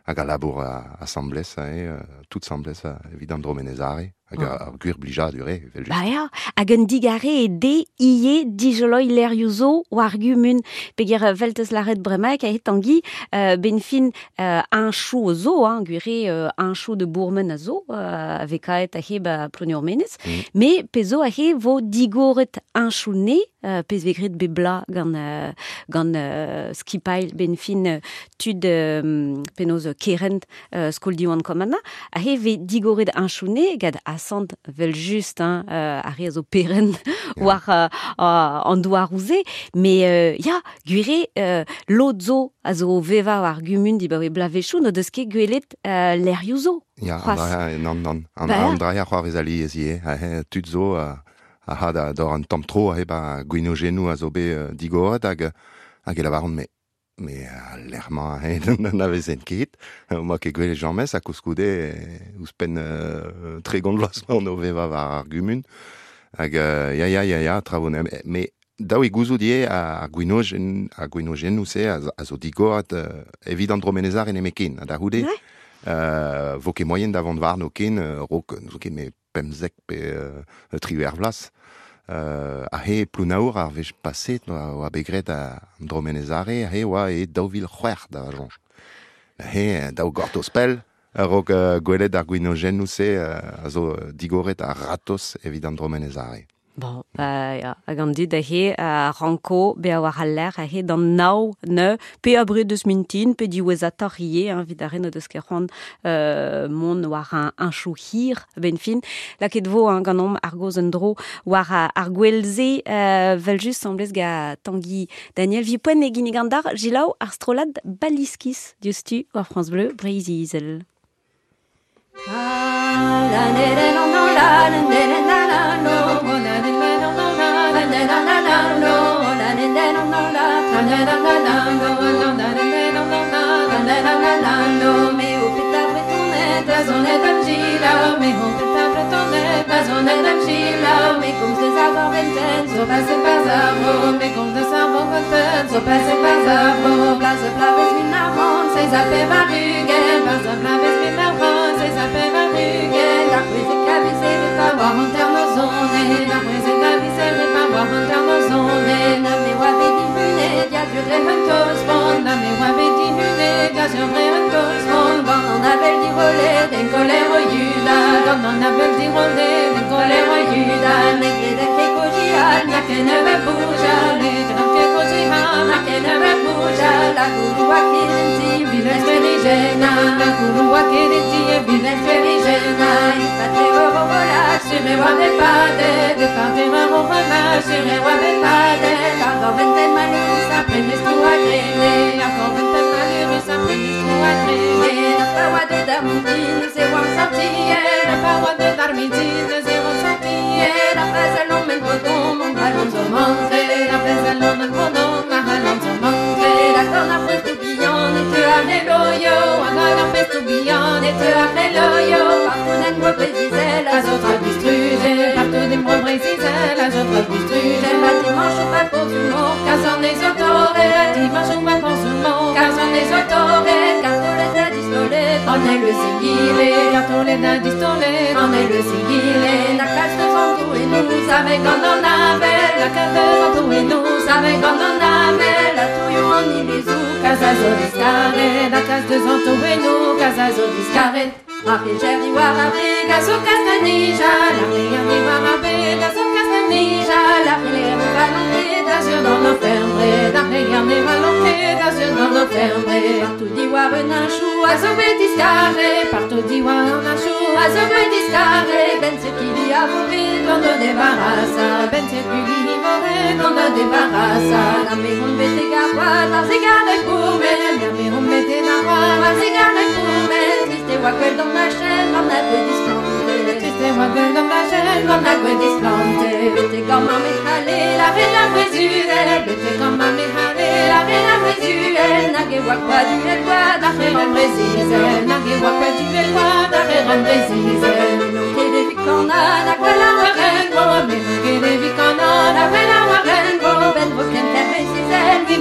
B: hag a labour asambles, eh, tout asambles evit an dromenezare, hag oh. ar gwir blijadur, eh, evel just.
A: Ba ya, hag un digare e de ie dijoloi lerioù zo war gumun, peger veltez laret bremaik a Tanguy, euh, ben fin euh, un chou zo, hein, gwire euh, un chou de bourmen a zo, euh, avekaet a he ba Ploneour-Menez, mm. me pezo a he vo digoret un chou ne, euh, pez vegret bebla gant, euh, gant euh, skipail ben fin euh, tud euh, penoz kerent euh, skol diwan komana, a he ve digoret un chou ne, gad asant vel just, hein, euh, a re a zo peren yeah. war euh, an douar ouze, mais euh, ya, gwire euh, lod zo a zo veva war gumun di ba we blavechou no deus ket gwelet euh, lerioù zo.
B: Ya, an draia, nan, nan, an, ba, an draia c'hoarvez ali ez ie, tud zo a, a ha da d'or an tamm tro a he ba gwinogennoù a zo bet uh, digoret hag hag e lavaron me me a l'ermañ he n'an avezen ket, ma ket gwelet jamez a koulskoude ouzhpenn euh, tregont vloaz ma on o veva war ar gumun hag euh, ya ya ya ya traoù me daou e gouzout ivez ar gwinogen ar gwinogennoù-se a, a zo digoret euh, evit an dromenezar en eme ken, a da c'houde ouais. euh, vo ket moyen da vont warno ken euh, rok n'zo ket me pemzek pe euh, triwec'h vloaz. Euh, a he Plounaour ar wech paset oa, oa bet graet a an dromenezare, a he oa e daou vil c'hwec'h da vajoñj. A he daou gortoz pell a-raok uh, gwelet ar gwinogennoù-se uh, a zo digoret ar ratos evit an dromenezare.
A: Bon, bah, ya, hag an dud a he a ranko be a war al lec'h a he d'an nao ne, pe a bred deus mintin, pe diwezhatoc'h ivez, hein, evit ar re n'o deus ket c'hoant euh, mont war un, un chou hir, ben fin. Laket vo, hein, ganeomp ar goz un dro war ar gwelze, euh, vel just semblez ga Tanguy Daniel vi poent e ginnig an dar, jilaou ar strolad Baliskis diouzhtu war France Bleu Breizh-Izel. Ah, la ne la la la la la la la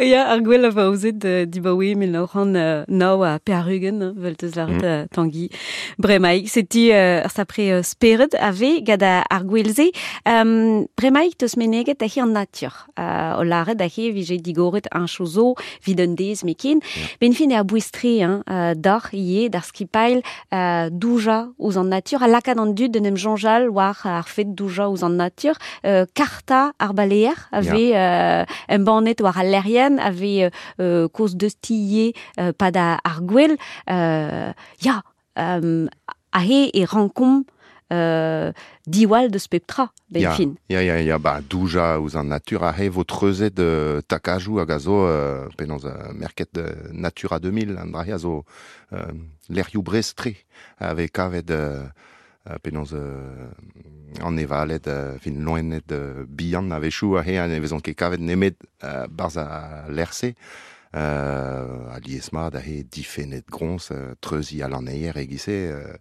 A: Ya, ar gwell a vaozet uh, dibaoe mil nav c'hant uh, nav ha pevar-ugent, vel teus lâret mm. uh, Tangi. Bremaik, setu uh, ar sapre uh, spered a ve gant ar gwell-se. Um, bremaik teus meneget ahe an natur. Uh, o lâret ahe vije digoret un chozo vid un dez mekin. Yeah. Ben fin e a bouez-tre, hein, uh, d'ar ie, d'ar skipail, uh, douja ouz an natur, a lakaat an dud d'un em jonjal war ar fet douja ouz an natur, uh, karta ar baleer a ve yeah. uh, embannet war al lerien, ave euh, koz deus tiye euh, pad ar gwell, euh, ya, um, ahe e rankomp euh, diwall deus pep tra, ben
B: ya,
A: fin.
B: Ya, ya, ya, ba, douja ouz an natur ahe vo treuzet euh, takajou hag a zo, euh, penaos euh, merket euh, Natura deux mille, an drahe a zo euh, lec'hioù brest-tre, ave kavet euh, penaos euh, an evalet, euh, fin loenet euh, bihan a-wechoù ahe an e vezont ket kavet nemet euh, barz a lec'h-se, euh, a liesmat ahe difennet groñs, euh, treuzi al aneier egise, euh,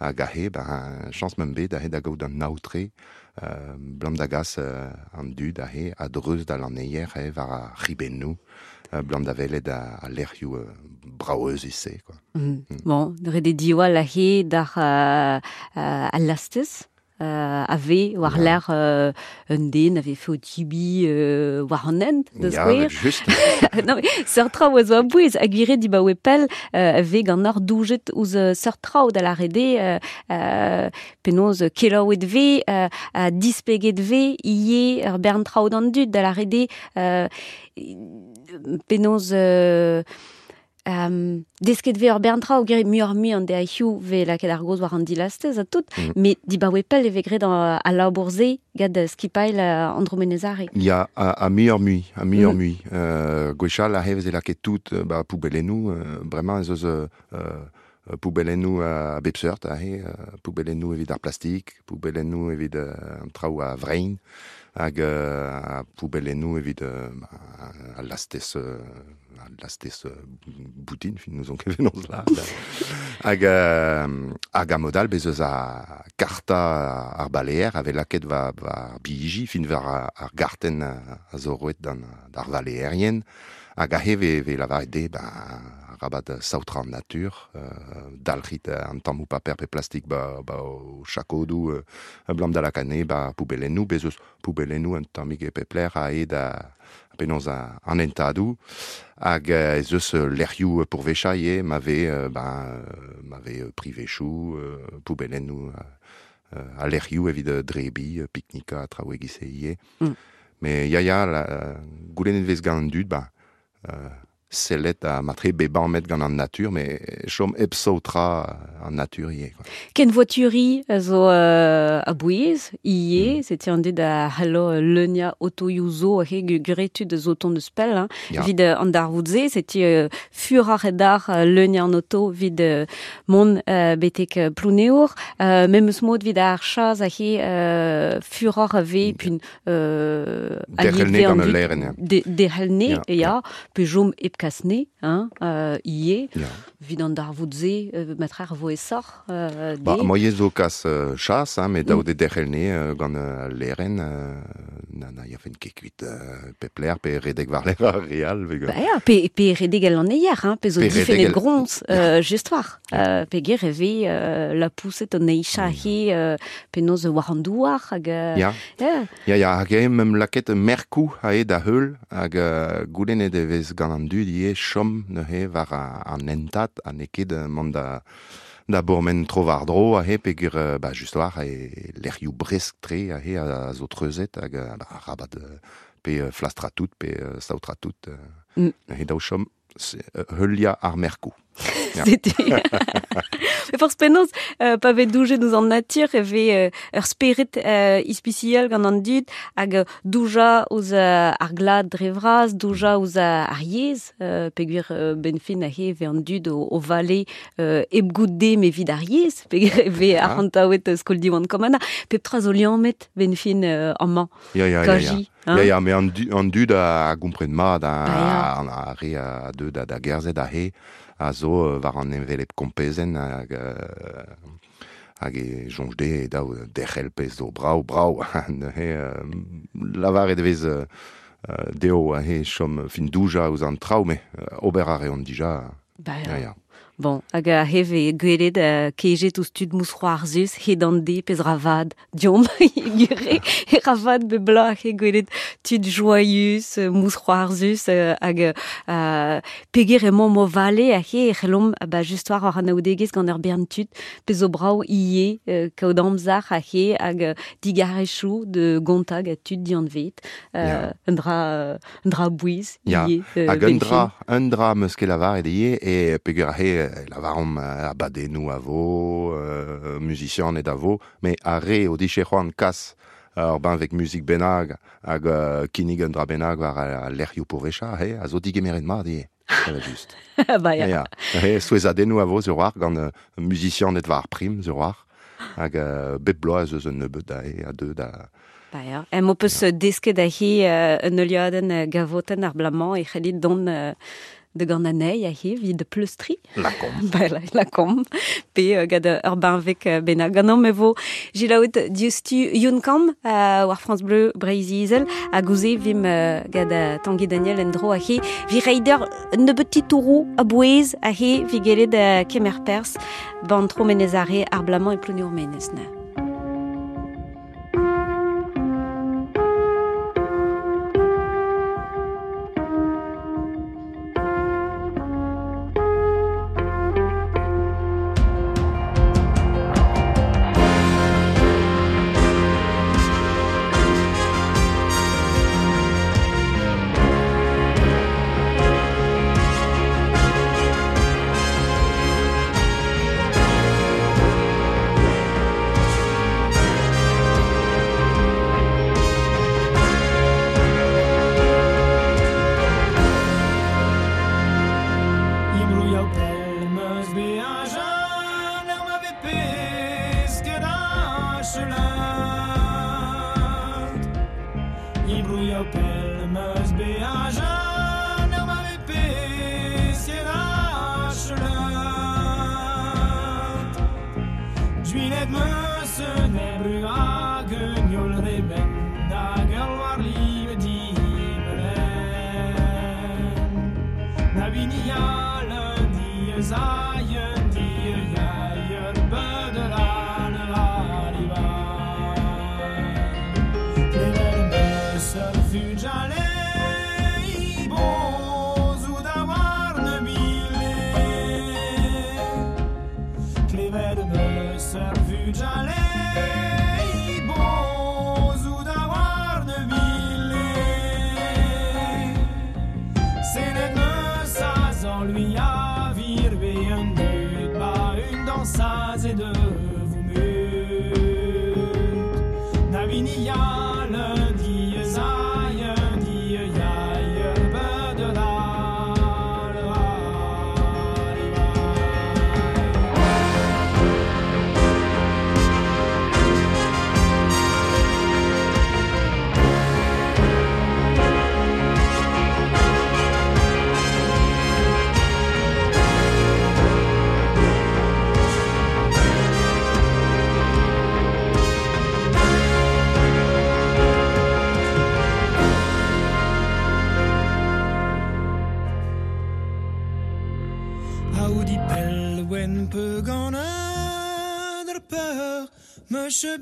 B: hag ahe, ben, chañs meum bet ahe da gaout an aotre, euh, blam da gas euh, an dud ahe a dreuz da l'aneier ahe war a ribennoù, euh, blam da velet a, a lec'hioù euh, braoeus ise, quoi.
A: Mm. Mm. Bon, dre de diwall ahe d'ar euh, euh, al lastez, euh, ave war
B: Ya.
A: l'air euh, un den ave fe o tibi euh, war an hent, da
B: Ya,
A: skouer.
B: just.
A: Non, mais seurt traoù a zo a bouez, hag gwire dibaoe pell, euh, ave gant ar doujet ouzh euh, seurt traoù da lâret eo, euh, euh, penaos kelaouet ve, euh, ha displeget ve, ie ur bern traoù d'an dud da lâret eo, euh, penaos euh, Um, desket ve ur bern traoù gere muioc'h mui an deaioù ve lakaet ar goz war an dilastez a tout,
B: Mm.
A: met dibaoe pell e ve graet an, a labour-se gant skipail uh, Andromenezare.
B: Ya, a, a muioc'h mui, a muioc'h
A: Mm.
B: mui. Euh, gwechall a veze lakaet tout, euh, ba, poubellennoù, euh, bremañ ez eus euh, euh, poubellennoù a bep seurt ahe, euh, poubellennoù evit ar plastik, poubellennoù evit euh, an traoù a vrein, hag euh, a poubellennoù evit euh, ba, a lastez, euh, a lastez euh, boutin, fin nous on ket venons la. Hag, euh, hag a modal bez eus a karta ar baleer ave lakaet va, va biji, fin war ar, ar garten a, a zo roet d'an d'ar valeerien, hag ahe ve, ve lavaret de, ba, rabat saotra an natur, euh, dalc'hit an tammoù paper pe plastik ba, ba o chakodou, euh, blam da lakane, ba poubellennoù, bez eus poubellennoù an tammig e pepler a ed a, penaos a, an entadou, hag euh, ez eus lec'hioù pourvecha ivez, ma ve, euh, ben, euh, ma ve privechou, euh, poubellennoù euh, a lec'hioù evit drebi, piknika, traoù egise ivez.
A: Mm.
B: Mais ya, ya, la, goulennet vez gant an dud, ba, euh, sellet a matre beban met gant an natur, mais chom hep saotra an natur ivez, quoi.
A: Ken voituri a zo euh, a bouez, ie,
B: Mm.
A: setu an dud a c'hallo leunia otoioù zo ahe guretud zo ton deus pell, hein.
B: Ya.
A: Vid euh, an darvoud-se, setu euh, fur ar edar euh, leunia an oto vid euh, mont euh, betek euh, Plounéour, euh, memes mod vid ar chaz ahe euh, furor a ve, pun euh,
B: Derc'hel ne gant al leren, ya.
A: De, derc'hel ne,
B: Ya,
A: ya,
B: ya.
A: pe jom hep kasne, hein, euh, ie,
B: Ya.
A: vid an darvoud-se, euh, matre ar vo esor, euh,
B: Ba,
A: de.
B: moie zo kas euh, chas, hein, met
A: Mm.
B: daou de derc'hel ne euh, gant euh, al leren, euh, na, na, ya fen ket kuit euh, pepler, pe redek war ler ar real, veg,
A: Ba ya, pe, pe redeg al an eier, hein, pe zo
B: Pe
A: difennet
B: redeg al-
A: groñs, euh, just war.
B: Ya.
A: Euh, pe ger e ve euh, la pouset an eicha he, euh, penaos war an douar, hag... Euh,
B: Ya.
A: ya.
B: Ya, ya, hag eo mem lakaet merkoù ae da heul, hag euh, goulennet e vez gant an dud ivez chom neuze war a, an entad, ha n'eo ket euh, mont da, da bourmen tro war dro ahe peogwir euh, ba, just war e lec'hioù bresk-tre ahe a, a zo treuzet hag euh, ba, rabat euh, pe euh, flastra tout, pe euh, saotra tout. Euh,
A: Mm.
B: Neuze daou chom se- euh, heulia ar merkoù. Ya.
A: C'était... Me forz penaos, euh, pa vez doujet ouzh an natur, e vez euh, ur spered euh, ispisial gant an dud, hag euh, douja ouzh euh, ar glad dre vras, douja ouzh euh, ar yezh, euh, peogwir euh, ben fin ahe vez an dud o, o vale euh, hep goût de me vid ar yezh, peogwir e vez
B: Ah.
A: arc'hantaouet skol Diwan Komana, pep tra zo liammet ben fin euh, amañ,
B: Ya, ya, ya, ya.
A: kaji. Hein?
B: Ya, ya, me an, du, an dud a, a gompren mat, a,
A: Ba ya.
B: an a re a deu da, da gerzhet a he, a zo euh, war an envelep kompezenn hag, euh, hag e soñj de e daou derc'hel pezh zo brao, brao. Neuze, euh, lavaret e vez euh, deo he chom fin douja ouz an traoù, me ober a reont dija.
A: Ba, ya. Ya, ya. Bon, hag a heve gwelet uh, kejet ouz tud mousc'hoarzus, hed an de pez ravad, diom, gure, e ravad be bla he gwelet tud joyeux, mousc'hoarzus, hag uh, peger emañ mo vale a he e c'hellomp ba just war ar anaoudegezh gant ur bern tud, pez o brao ie, uh, kaout amzer a he hag digarechou de gontag a tud dianvet, uh, yeah. un dra, un dra bouiz,
B: yeah.
A: ie.
B: Uh, hag un dra, un dra meus ket lavaret ie, e peger a he lavarom abadennoù a vo, euh, musician et a vo, me a re o diche c'hoant kas ur benveg muzik bennak hag uh, kinnig un dra bennak war a lec'hioù porecha, he, a zo digemeret mat eo, just.
A: Ba ya.
B: Ya, he, souezhadennoù a vo sur war gant uh, musician et war prim sur war, hag uh, bep bloaz eus un nebeud da, he, a deux da...
A: Ba ya, em o peus desket a he un euliadenn gavotenn ar blamañ e c'hellit don... Uh, de gant anei a he vid pleustri.
B: La kom.
A: Ba, la, la kom. Pe uh, gant ur benveg uh, bennak. Gant me vo gilaout diustu Youn Kamm uh, war France Bleu Breizh-Izel a gouze vim uh, gant uh, Tanguy Daniel en dro a he vi reider nebeut titourou a bouez a he vi gelet uh, kemer pers ban tro menez are ar blamañ e plouniour menez na.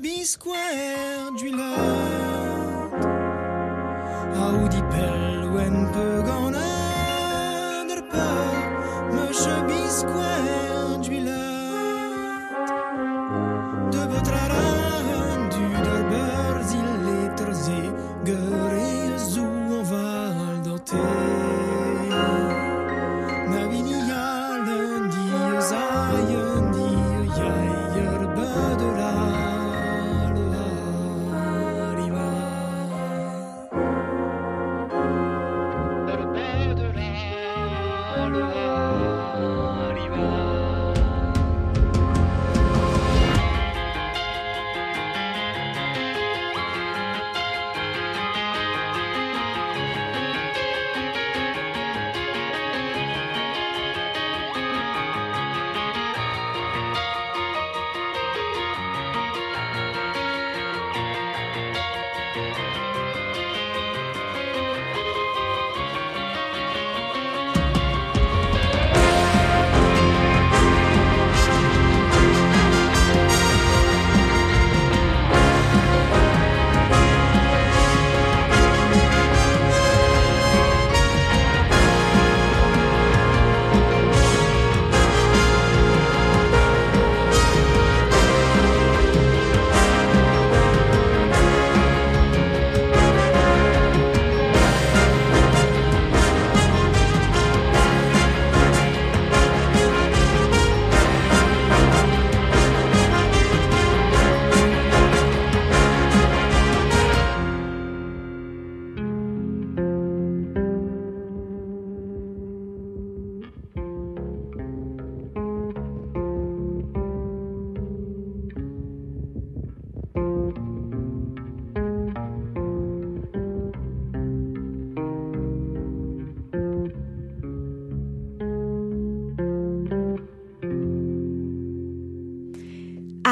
J: Bisquare d'huilette Audi pelwen pe gant der peur Meche bisquare d'huilette De betraran du der berzil leterze Gere zou an val d'ante Navinialen die zaien die jaier bedela.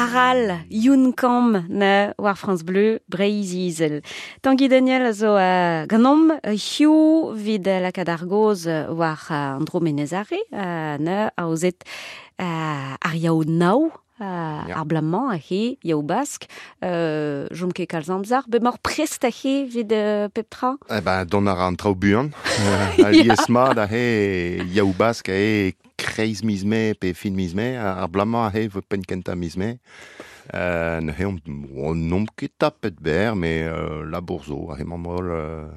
A: Aral, Youn Kamm na war France Bleu, Breizh-Izel. Tanguy Daniel a zo uh, ganom hiu vid lakaat ar goz war uh, an dro Menez-Are, uh, na aozet uh, ar yaou nao, Uh, yeah. Ar blamañ a he, yaou bask, euh, jom ket kalz amzer, be mor prest a he vid uh, pep tra?
B: Eh ben, don ar an traoù buan. Uh, lies mat a he yaou bask a he kreiz miz mae pe fin miz mae, ar blamañ a he vo penn kentañ miz mae. Euh, ne he on, on n'omp ket tapet ber, mais euh, labour zo, a he mamm holl euh,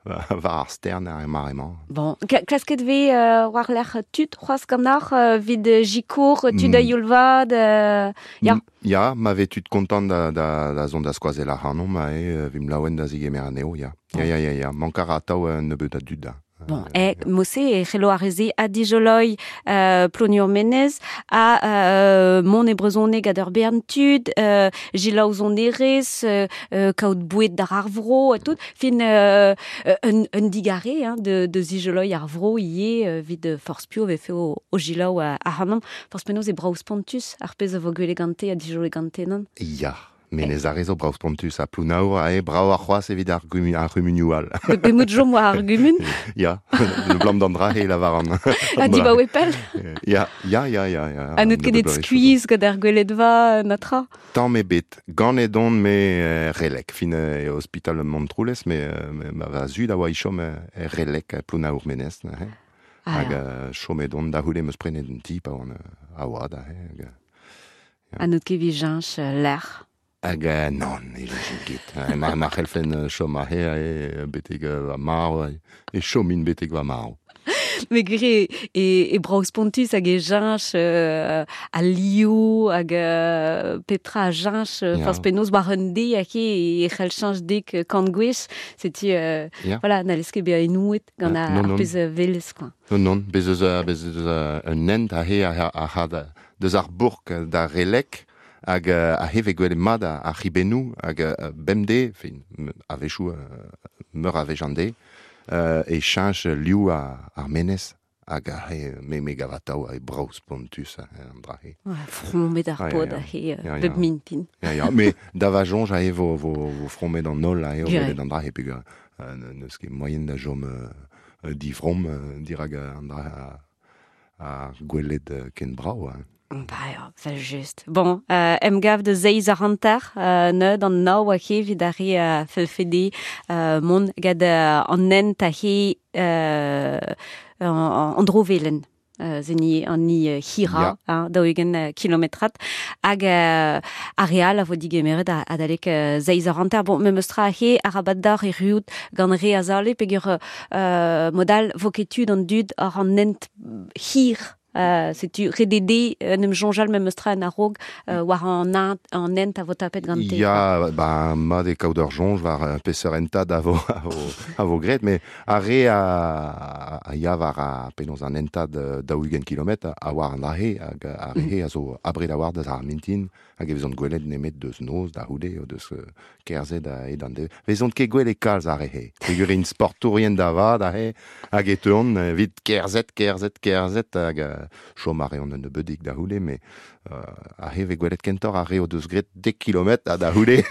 B: war ar stern ar emañ.
A: Bon, klasket ve euh, war lec'h tud c'hoazh ganeoc'h euh, vid jikour, tud a youl-vat, euh, ya.
B: Ya, ma ve tud kontant da, da, da zont da skoazell ac'hanomp, a e, vim laouen da zigemer anezho, ya. Ya, ya, ya, ya, mank a ra atav un nebeud a dud da.
A: Bon, e, mose e c'hello ar reze a dijoloi euh, ploniour menez, a euh, mont e brezhoneg ad ur bern tud, euh, jilaou zon erez, euh, kaout boued d'ar ar vro, a tout, fin euh, un, un digare hein, de, de zijoloi ar vro ie euh, vid forz pio vefe o, o jilaou a, a hanom, forz penaos e brav spontus ar pezh a vo gwele gante a dijoloi gante non?
B: Ya. Menez ar zo brav spontus a Plounaour a e brav ar c'hoazh evit ar gumun ar c'humunioù all.
A: Be mout jom war ar gumun?
B: Ya, le blam d'an dra e lavar an.
A: A diba oe pell?
B: Ya, ya, ya, ya. ya.
A: A n'eut ket et skuizh gant ar gweledva natra?
B: Tamm ebet, ganet on me relek, fin e ospital Montroulez, me, me ma va zud a oa i chom e relek Plounaour Menez. Ah, hag chomet on da c'houde meus prenet un ti pa oan a oad. Hag,
A: A n'eut ket vi jañch lec'h?
B: Hag euh, non, e jañchin ket. Ma, ma c'hellfen chom a he e betek va marv, e chomin betek va marv.
A: Me gre e, e brav spontus hag e jañch euh, a liou hag euh, petra a jañch yeah. Forz penaos war un de hag e c'hell chañch dek kant gwech. Setu, euh, yeah. Voilà, n'allez ket bezañ enouet gant ar, ar pezh velez, quoi.
B: Non, non, bez eus, bez eus un hent a he a, a, a, deus ar bourk da relek, hag a heve gwelet mat ar c'hibennoù hag bemdez, fin, a-wechoù meur a wech an de, e cheñch liv ar menez hag a he me me gav atav a brav spontus an dra he.
A: Frommet ar pod a he bep mintin.
B: Ya, ya, me da va soñj a he vo, vo, vo frommet an holl a he o welet an dra he peogwir n'eus ket moaien da chom divrom dirak an dra ar gwelet ken brav.
A: Ba ya, vel just. Bon, euh, emgav de zeiz ar hanter, euh, neud an nao a he vid ar re euh, felfede euh, mont gad euh, an hent a he euh, an, an drovelen. Euh, zeni an ni uh, hira, yeah. hein, daou-ugent uh, kilometrat, hag uh, ar real a vo digemeret adalek uh, zeiz ar hanter. Bon, memes tra he arabat d'ar e ruout gant re a zale, peogwir uh, modal vo ket tud an dud ar an hent hir. Uh, setu redede en em soñjal memes tra en a-raok uh, war an, an hent a vo tapet gante.
B: Ya, ba, mat e kaout ur soñj war peseurt hentad a vo, a vo, a vo graet, mais ar re a, a ya war a penaos an hentad daou-ugent kilometr a war an ahe, hag ar re a zo abred a war deus ar mintin, hag e vezont gwelet nemet deus noz da c'houde, o deus kerzhet a hed an de. Vezont ket gwelet kalz ar re he. Peogwir int sportourien da vat a he, hag e teuont evit kerzhet, kerzhet, kerzhet, hag chom a reont un nebeudig da c'houde, mais euh, a he vez gwelet kentoc'h ar re o deus graet dek kilometr ha da c'houde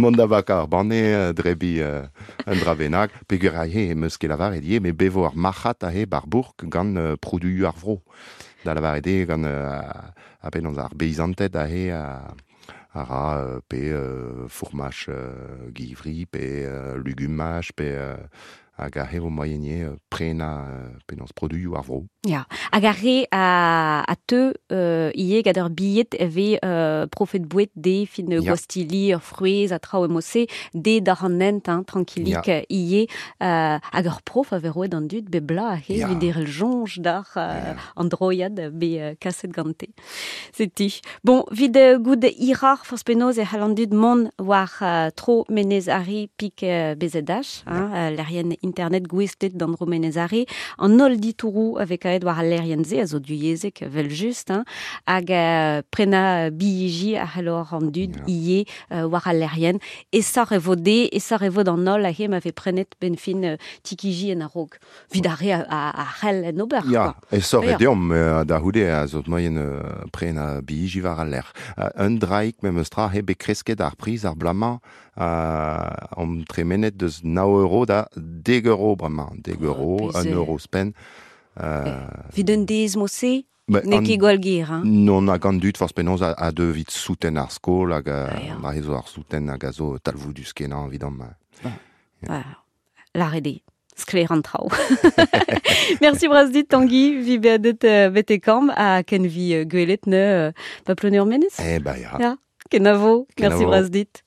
B: mont da vakañ ar banne drebi euh, un dra bennak. Peogwir a he em eus ket lavaret ivez, mais bevo ar marc'had a he bar bourk gant euh, produioù ar vro. Da lavaret eo gant euh, a penaos ar beizanted a he a, a ra euh, pe euh, fourmaj euh, givri, pe euh, lugumaj, pe euh, hag a he vo moaien prenañ penaos produioù ar vro.
A: Ya, hag ar re a, a teu euh, ivez gant ur billet e vez euh, profet boued de fin yeah. Gwastilli, ur frouezh a traoù emose, de d'ar an hent, hein, tranquillik yeah. Ivez, euh, hag ur prof a vez roet an dud be bla a he, yeah. Evit derc'hel soñj d'ar euh, yeah. An droiad be euh, kaset gante. Setu. Bon, vid euh, goud hirar forzh penaos e c'hall an dud mont war euh, tro Menez Are pik euh, B Z H, hein, yeah. euh, lec'hienn internet gouestlet d'an Romenez Are, an holl ditourou avec aet war al lerien ze, a zo duyezek vel just, hein, hag uh, prena billiji a c'hellor an dud yeah. ie uh, war al lerien, e sor e vo de, e sor e vo d'an holl a he ma ve prenet ben fin uh, tikiji en a-raok. Vid ar re a, a, a c'hell en ober.
B: Ya, e sor e deomp uh, da houde a zo moyen uh, prena billiji war al ler. Uh, un draik mem eus tra he bet kresket ar priz ar blamañ uh, om tremenet deus nav euro da deg euro bremañ. Deg euro, oh, un euro spen.
A: Uh, Vid un dez mo-se, n'eo ket gwall ger, hein?
B: Non, hag an dud forz penaos a, a deu vit souten ar skol hag ah, ma zo ar souten hag a zo talvoudus kenañ evidom.
A: Yeah. Lâret eo. Sklaer an traoù. Merci bras dit, Tanguy, vi beadet uh, bete kamp a ken vi uh, gwelet ne uh, pa ploneur menez.
B: Eh ba ya.
A: Ya, kenavo. Merci bras dit.